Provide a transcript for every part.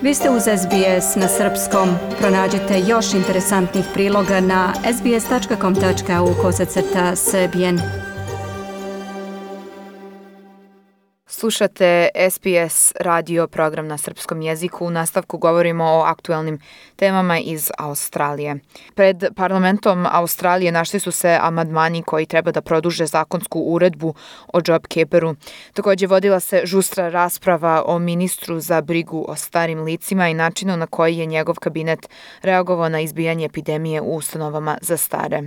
Vi ste uz SBS na srpskom. Pronađite još interesantnih priloga na sbs.com.au/srbijen. Slušate SBS radio program na srpskom jeziku. U nastavku govorimo o aktuelnim temama iz Australije. Pred parlamentom Australije našli su se amandmani koji treba da produže zakonsku uredbu o JobKeeperu. Također vodila se žustra rasprava o ministru za brigu o starim licima i načinu na koji je njegov kabinet reagovao na izbijanje epidemije u ustanovama za stare.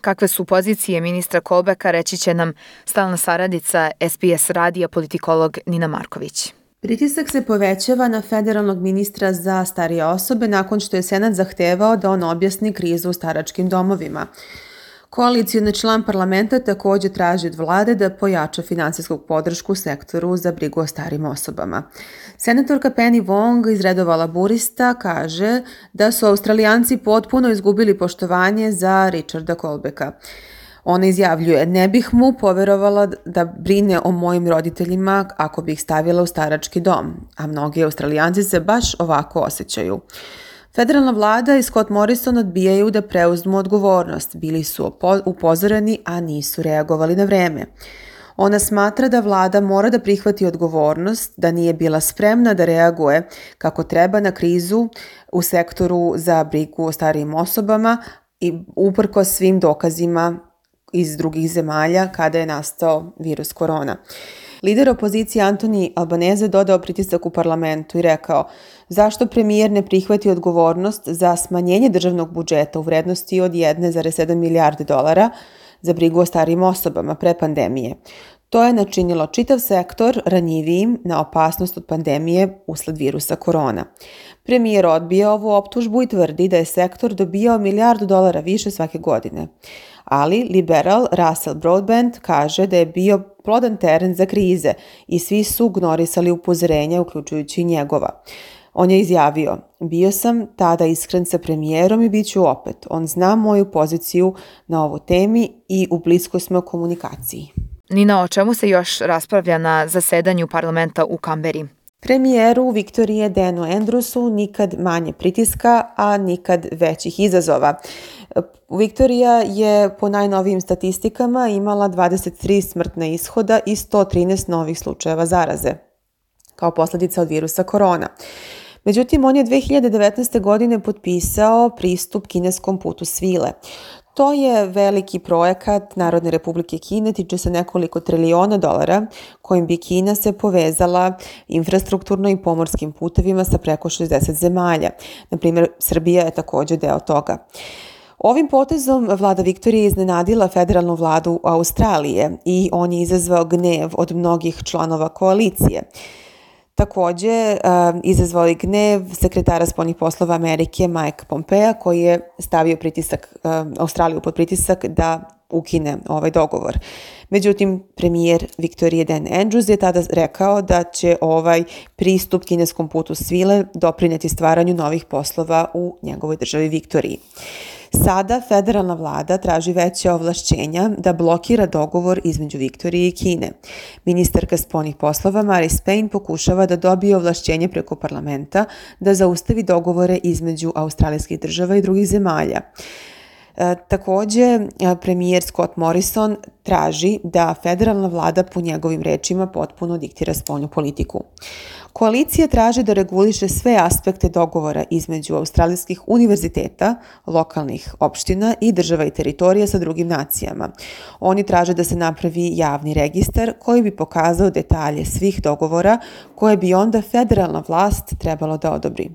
Kakve su pozicije ministra Colbecka, reći će nam stalna saradnica SBS radija politikolog Nina Marković. Pritisak se povećava na federalnog ministra za starije osobe nakon što je Senat zahtevao da on objasni krizu u staračkim domovima. Koalicioni član parlamenta također traži od vlade da pojača finansijsku podršku sektoru za brigu o starim osobama. Senatorka Penny Wong iz redova laburista kaže da su Australijanci potpuno izgubili poštovanje za Richarda Colbecka. Ona izjavljuje: "Ne bih mu poverovala da brine o mojim roditeljima ako bih stavila u starački dom, a mnogi Australijanci se baš ovako osjećaju." Federalna vlada i Scott Morrison odbijaju da preuzmu odgovornost. Bili su upozoreni, a nisu reagovali na vreme. Ona smatra da vlada mora da prihvati odgovornost, da nije bila spremna da reaguje kako treba na krizu u sektoru za brigu o starijim osobama i uprkos svim dokazima iz drugih zemalja kada je nastao virus korona. Lider opozicije Anthony Albanese dodao pritisak u parlamentu i rekao: "Zašto premijer ne prihvati odgovornost za smanjenje državnog budžeta u vrednosti od 1,7 milijarde dolara za brigu o starijim osobama pre pandemije? To je načinilo čitav sektor ranjivijim na opasnost od pandemije usled virusa korona." Premijer odbija ovu optužbu i tvrdi da je sektor dobijao $1 milijardu više svake godine. Ali liberal Russell Broadbent kaže da je bio plodan teren za krize i svi su ignorisali upozorenja, uključujući i njegova. On je izjavio: "Bio sam tada iskren sa premijerom i bit ću opet. On zna moju poziciju na ovoj temi i u bliskoj smo komunikaciji." Nina, o čemu se još raspravlja na zasedanju parlamenta u Kamberi? Premijeru Viktorije Danu Andrewsu nikad manje pritiska, a nikad većih izazova. Viktorija je po najnovijim statistikama imala 23 smrtna ishoda i 113 novih slučajeva zaraze kao posljedica od virusa korona. Međutim, on je 2019. godine potpisao pristup kineskom putu svile. To je veliki projekat Narodne republike Kine, tiče se nekoliko triliona dolara, kojim bi Kina se povezala infrastrukturno i pomorskim putevima sa preko 60 zemalja. Naprimjer, Srbija je također deo toga. Ovim potezom vlada Viktorije iznenadila federalnu vladu Australije i on je izazvao gnev od mnogih članova koalicije. Također izazvao je gnev sekretara spoljnih poslova Amerike Mike Pompea, koji je stavio Australiju pod pritisak da ukine ovaj dogovor. Međutim, premijer Viktorije Dan Andrews je tada rekao da će ovaj pristup kineskom putu svile doprinijeti stvaranju novih poslova u njegovoj državi Viktoriji. Sada federalna vlada traži veće ovlašćenja da blokira dogovor između Viktorije i Kine. Ministarka spoljnih poslova Marise Payne pokušava da dobije ovlašćenje preko parlamenta da zaustavi dogovore između australijskih država i drugih zemalja. Također, premijer Scott Morrison traži da federalna vlada po njegovim rečima potpuno diktira spoljnu politiku. Koalicija traži da reguliše sve aspekte dogovora između australijskih univerziteta, lokalnih opština i država i teritorija sa drugim nacijama. Oni traže da se napravi javni registar koji bi pokazao detalje svih dogovora koje bi onda federalna vlast trebalo da odobri.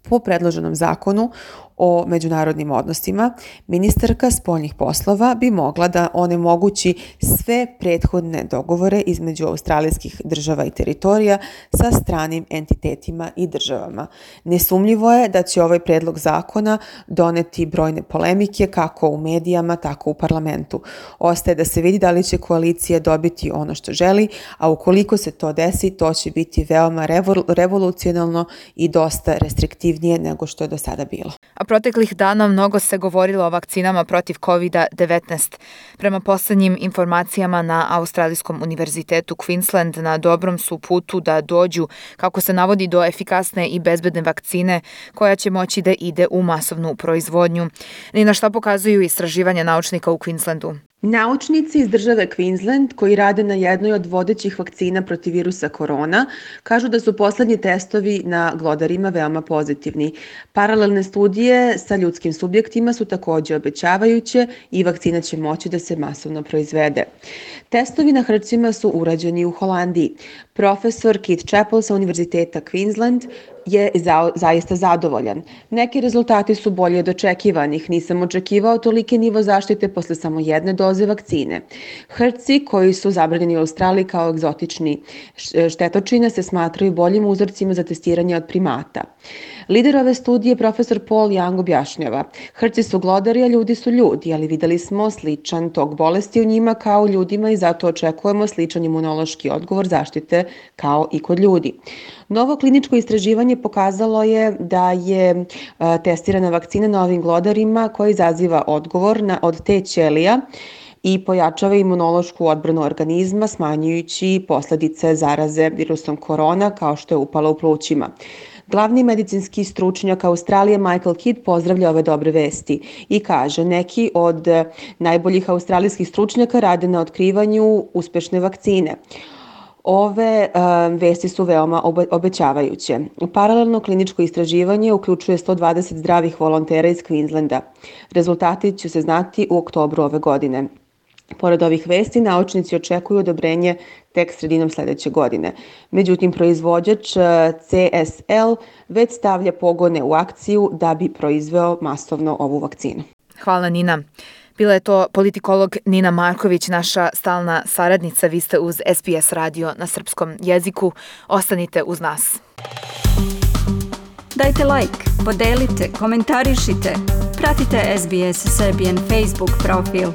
Po predloženom zakonu o međunarodnim odnosima, ministarka spoljnih poslova bi mogla da onemogući sve prethodne dogovore između australijskih država i teritorija sa stranim entitetima i državama. Nesumnjivo je da će ovaj predlog zakona doneti brojne polemike kako u medijama, tako u parlamentu. Ostaje da se vidi da li će koalicija dobiti ono što želi, a ukoliko se to desi, to će biti veoma revolucionalno i dosta restriktivnije nego što je do sada bilo. proteklih dana mnogo se govorilo o vakcinama protiv COVID-19. Prema poslednjim informacijama na Australijskom univerzitetu Queensland na dobrom su putu da dođu, kako se navodi, do efikasne i bezbedne vakcine koja će moći da ide u masovnu proizvodnju. Ni na šta pokazuju istraživanja naučnika u Queenslandu. Naučnici iz države Queensland, koji rade na jednoj od vodećih vakcina protiv virusa korona, kažu da su poslednji testovi na glodarima veoma pozitivni. Paralelne studije sa ljudskim subjektima su takođe obećavajuće i vakcina će moći da se masovno proizvede. Testovi na hrčima su urađeni u Holandiji. Profesor Keith Chappell sa Univerziteta Queensland je zaista zadovoljan. Neki rezultati su bolje od očekivanih. Nisam očekivao toliki nivo zaštite posle samo jedne doze vakcine. Hrci koji su zabranjeni u Australiji kao egzotični štetočine se smatraju boljim uzorcima za testiranje od primata. Lider ove studije, profesor Paul Young, objašnjava: hrci su glodari, a ljudi su ljudi, ali videli smo sličan tok bolesti u njima kao u ljudima i zato očekujemo sličan imunološki odgovor zaštite kao i kod ljudi. Novo kliničko istraživanje pokazalo je da je testirana vakcina na ovim glodarima koja izaziva odgovor od T ćelija i pojačava imunološku odbranu organizma, smanjujući posledice zaraze virusom korona kao što je upala u plućima. Glavni medicinski stručnjak Australije Michael Kidd pozdravlja ove dobre vesti i kaže: neki od najboljih australijskih stručnjaka rade na otkrivanju uspešne vakcine. Ove vesti su veoma obećavajuće. Paralelno kliničko istraživanje uključuje 120 zdravih volontera iz Queenslanda. Rezultati će se znati u oktobru ove godine. Pored ovih vesti, naučnici očekuju odobrenje tek sredinom sledeće godine. Međutim, proizvođač CSL već stavlja pogone u akciju da bi proizveo masovno ovu vakcinu. Hvala, Nina. Bila je to politikolog Nina Marković, naša stalna saradnica. Vi ste uz SBS radio na srpskom jeziku. Ostanite uz nas. Dajte like, podelite, komentarišite. Pratite SBS Serbian Facebook profil.